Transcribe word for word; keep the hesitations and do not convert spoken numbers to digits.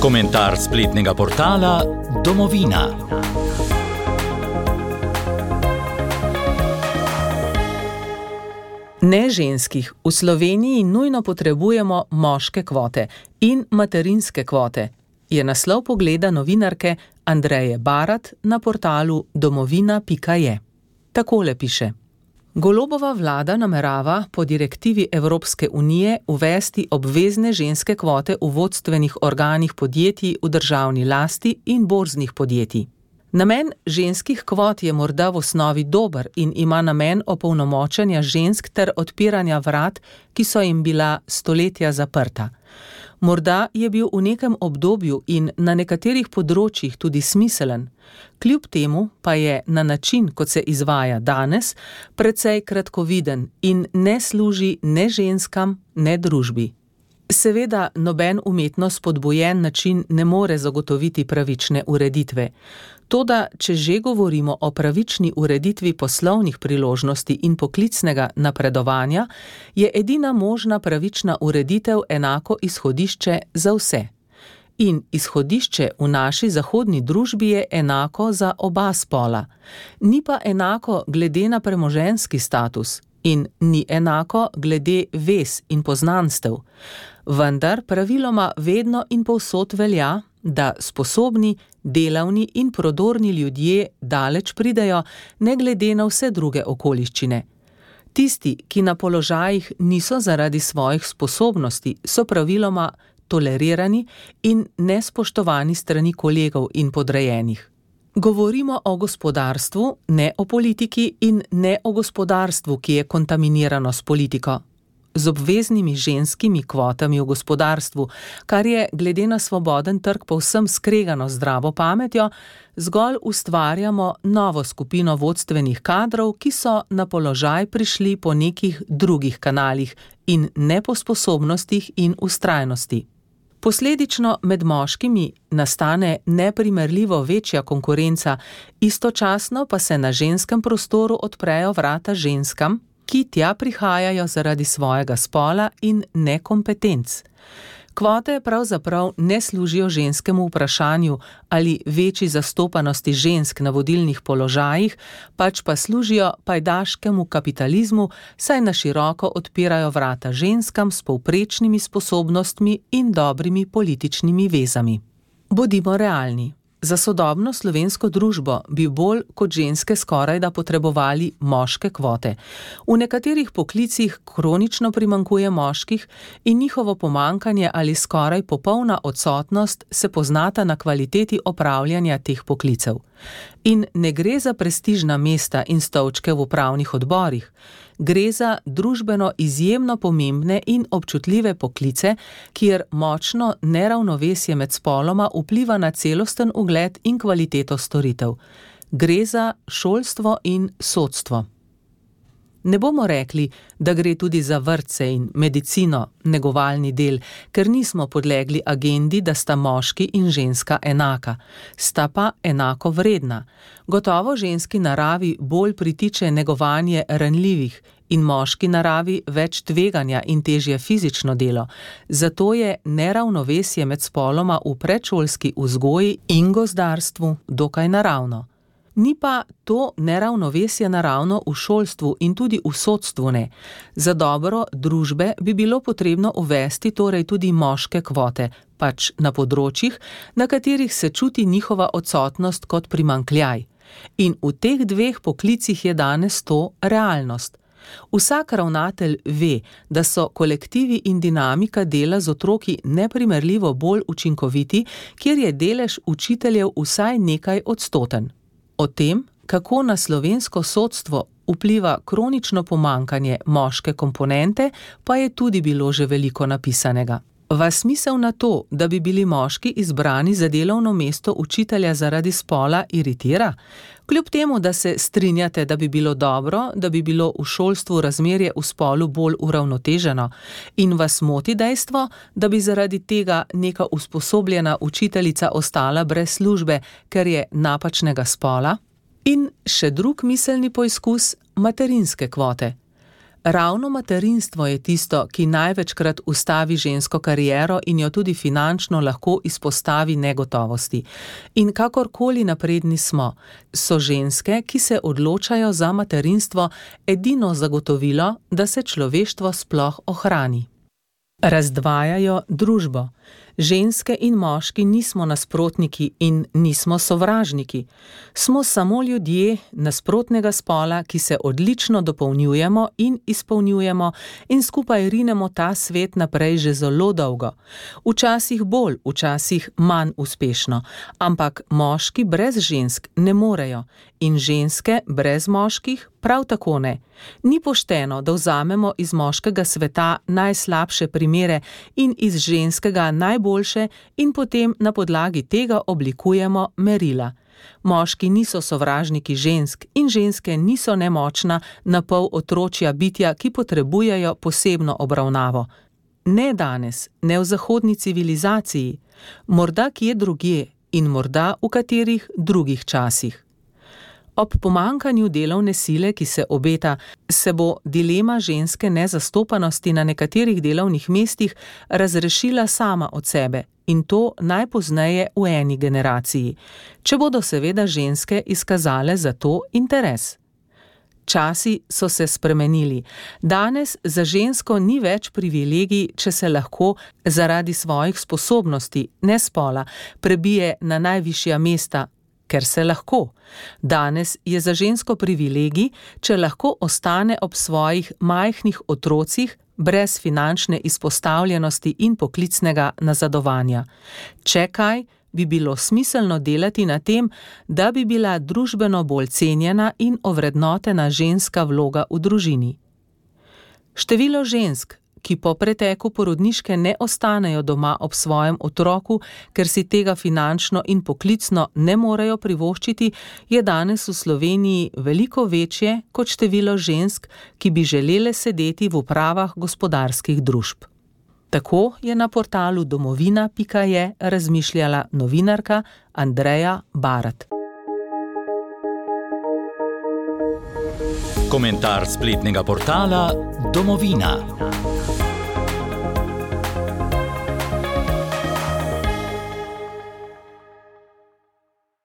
Komentar spletnega portala Domovina. Ne ženskih. V Sloveniji nujno potrebujemo moške kvote in materinske kvote, je naslov pogleda novinarke Andreje Barat na portalu domovina pika je. Takole piše. Golobova vlada namerava po direktivi Evropske unije uvesti obvezne ženske kvote v vodstvenih organih podjetij v državni lasti in borznih podjetij. Namen ženskih kvot je morda v osnovi dober in ima namen opolnomočenja žensk ter odpiranja vrat, ki so jim bila stoletja zaprta. Morda je bil v nekem obdobju in na nekaterih področjih tudi smiselen, kljub temu pa je na način, kot se izvaja danes, precej kratkoviden in ne služi ne ženskam, ne družbi. Seveda, noben umetno spodbujen način ne more zagotoviti pravične ureditve. Toda, če že govorimo o pravični ureditvi poslovnih priložnosti in poklicnega napredovanja, je edina možna pravična ureditev enako izhodišče za vse. In izhodišče v naši zahodni družbi je enako za oba spola. Ni pa enako glede na premoženjski status in ni enako glede vez in poznanstev. Vendar praviloma vedno in povsod velja, da sposobni, delavni in prodorni ljudje daleč pridejo, ne glede na vse druge okoliščine. Tisti, ki na položajih niso zaradi svojih sposobnosti, so praviloma tolerirani in nespoštovani strani kolegov in podrejenih. Govorimo o gospodarstvu, ne o politiki in ne o gospodarstvu, ki je kontaminirano s politiko. Z obveznimi ženskimi kvotami v gospodarstvu, kar je glede na svoboden trg povsem skregano zdravo pametjo, zgolj ustvarjamo novo skupino vodstvenih kadrov, ki so na položaj prišli po nekih drugih kanalih in ne po sposobnostih in vztrajnosti. Posledično med moškimi nastane neprimerljivo večja konkurenca, istočasno pa se na ženskem prostoru odprejo vrata ženskam, ki tja prihajajo zaradi svojega spola in nekompetenc. Kvote pravzaprav ne služijo ženskemu vprašanju ali večji zastopanosti žensk na vodilnih položajih, pač pa služijo pajdaškemu kapitalizmu, saj na široko odpirajo vrata ženskam s povprečnimi sposobnostmi in dobrimi političnimi vezami. Bodimo realni. Za sodobno slovensko družbo bi bolj kot ženske skorajda potrebovali moške kvote. V nekaterih poklicih kronično primanjkuje moških in njihovo pomanjkanje ali skoraj popolna odsotnost se poznata na kvaliteti opravljanja teh poklicev. In ne gre za prestižna mesta in stolčke v upravnih odborih. Gre za družbeno izjemno pomembne in občutljive poklice, kjer močno neravnovesje med spoloma vpliva na celosten ugled in kvaliteto storitev. Gre za šolstvo in sodstvo. Ne bomo rekli, da gre tudi za vrtce in medicino, negovalni del, ker nismo podlegli agendi, da sta moški in ženska enaka. Sta pa enako vredna. Gotovo ženski naravi bolj pritiče negovanje ranljivih in moški naravi več tveganja in težje fizično delo. Zato je neravnovesje med spoloma v predšolski vzgoji in gozdarstvu dokaj naravno. Ni pa to neravnovesje naravno v šolstvu in tudi v sodstvu ne. Za dobro družbe bi bilo potrebno uvesti torej tudi moške kvote, pač na področjih, na katerih se čuti njihova odsotnost kot primanjkljaj. In v teh dveh poklicih je danes to realnost. Vsak ravnatelj ve, da so kolektivi in dinamika dela z otroki neprimerljivo bolj učinkoviti, kjer je delež učiteljev vsaj nekaj odstoten. O tem, kako na slovensko sodstvo vpliva kronično pomanjkanje moške komponente, pa je tudi bilo že veliko napisanega. Vas misel na to, da bi bili moški izbrani za delovno mesto učitelja zaradi spola, iritira? Kljub temu, da se strinjate, da bi bilo dobro, da bi bilo v šolstvu razmerje v spolu bolj uravnoteženo in vas moti dejstvo, da bi zaradi tega neka usposobljena učiteljica ostala brez službe, ker je napačnega spola? In še drug miselni poizkus, materinske kvote. Ravno materinstvo je tisto, ki največkrat ustavi žensko kariero in jo tudi finančno lahko izpostavi negotovosti. In kakorkoli napredni smo, so ženske, ki se odločajo za materinstvo, edino zagotovilo, da se človeštvo sploh ohrani. Razdvajajo družbo. Ženske in moški nismo nasprotniki in nismo sovražniki. Smo samo ljudje nasprotnega spola, ki se odlično dopolnjujemo in izpolnjujemo in skupaj rinemo ta svet naprej že zelo dolgo. Včasih bolj, včasih manj uspešno, ampak moški brez žensk ne morejo in ženske brez moških prav tako ne. Ni pošteno, da vzamemo iz moškega sveta najslabše primere in iz ženskega najboljše in potem na podlagi tega oblikujemo merila. Moški niso sovražniki žensk in ženske niso nemočna, napol otročja bitja, ki potrebujejo posebno obravnavo. Ne danes, ne v zahodni civilizaciji, morda kje drugje in morda v katerih drugih časih. Ob pomanjkanju delovne sile, ki se obeta, se bo dilema ženske nezastopanosti na nekaterih delovnih mestih razrešila sama od sebe in to najpozneje v eni generaciji, če bodo seveda ženske izkazale za to interes. Časi so se spremenili. Danes za žensko ni več privilegij, če se lahko zaradi svojih sposobnosti, ne spola, prebije na najvišja mesta, ker se lahko. Danes je za žensko privilegij, če lahko ostane ob svojih majhnih otrocih, brez finančne izpostavljenosti in poklicnega nazadovanja. Če kaj, bi bilo smiselno delati na tem, da bi bila družbeno bolj cenjena in ovrednotena ženska vloga v družini. Število žensk, ki po preteku porodniške ne ostanejo doma ob svojem otroku, ker si tega finančno in poklicno ne morejo privoščiti, je danes v Sloveniji veliko večje kot število žensk, ki bi želele sedeti v upravah gospodarskih družb. Tako je na portalu domovina pika je razmišljala novinarka Andreja Barat. Komentar spletnega portala Domovina.